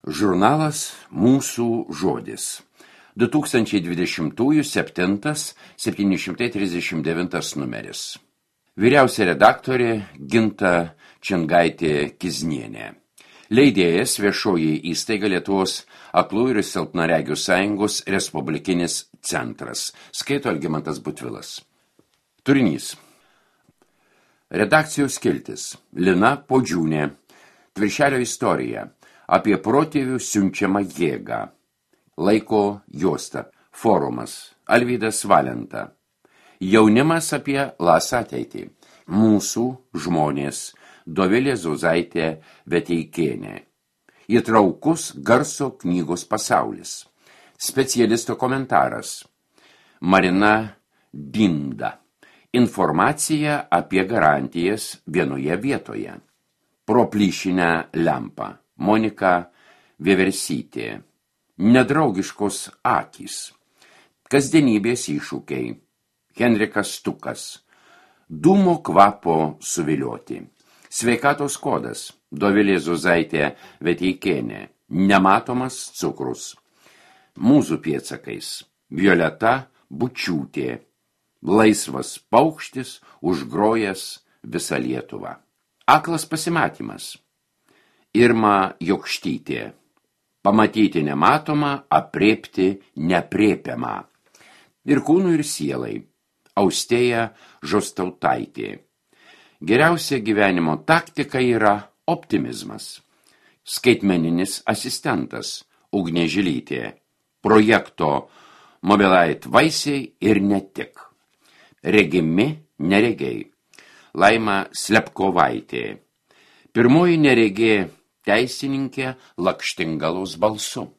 Žurnalas Mūsų žodis. 2020 739 numeris. Vyriausia redaktorė Ginta Čingaitė-Kiznienė. Leidėjas Viešoji įstaiga Lietuvos aklųjų ir silpnaregių sąjungos Respublikinis centras. Skaito Algimantas Butvilas. Turinys. Redakcijos skiltis. Lina Podžiūnė. Viršelio istorija. Apie protėvių siunčiamą jėgą. Laiko juosta. Forumas. Alvydas Valenta. Jaunimas apie LAS ateitį. Mūsų žmonės. Dovilė Zuzaitė Veteikienė. Įtraukus garso knygos pasaulis. Specialisto komentaras. Marina Dinda. Informacija apie garantijas vienoje vietoje. Pro plyšinę lempą. Monika Vieversytė. Nedraugiškos akys. Kasdienybės iššūkiai. Henrikas Stukas. Dūmo kvapo suvilioti. Sveikatos kodas. Dovilė Zuzaitė Veteikienė. Nematomas cukrus. Mūzų pėdsakais. Violeta Bučiūtė. Laisvas paukštis užgrojęs visą Lietuvą. Aklas pasimatymas. Irma Jokštytė. Pamatyti nematomą, aprėpti neprėpiamą. Ir kūnų ir sielai. Austėja Žostautaitė. Geriausia gyvenimo taktika yra optimizmas. Skaitmeninis asistentas Ugnė Žilytė. Projekto Mobilite vaisiai ir ne tik. Regimi neregiai. Laima Slepkovaitė. Pirmoji neregė teisininkė Lakštingalos balsu.